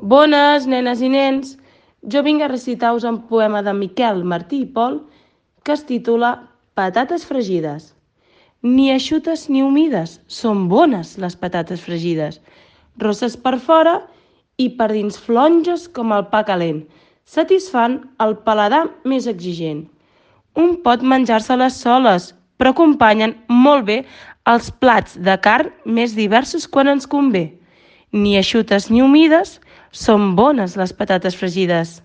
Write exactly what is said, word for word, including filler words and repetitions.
Bones, nenes i nens! Jo vinc a recitar-vos un poema de Miquel Martí i Pol que es titula Patates fregides. Ni eixutes ni humides, són bones les patates fregides. Rosses per fora i per dins flonges com el pa calent. Satisfan el paladar més exigent. Un pot menjar-se-les soles, però acompanyen molt bé els plats de carn més diversos quan ens convé. Ni eixutes ni humides, són bones les patates fregides.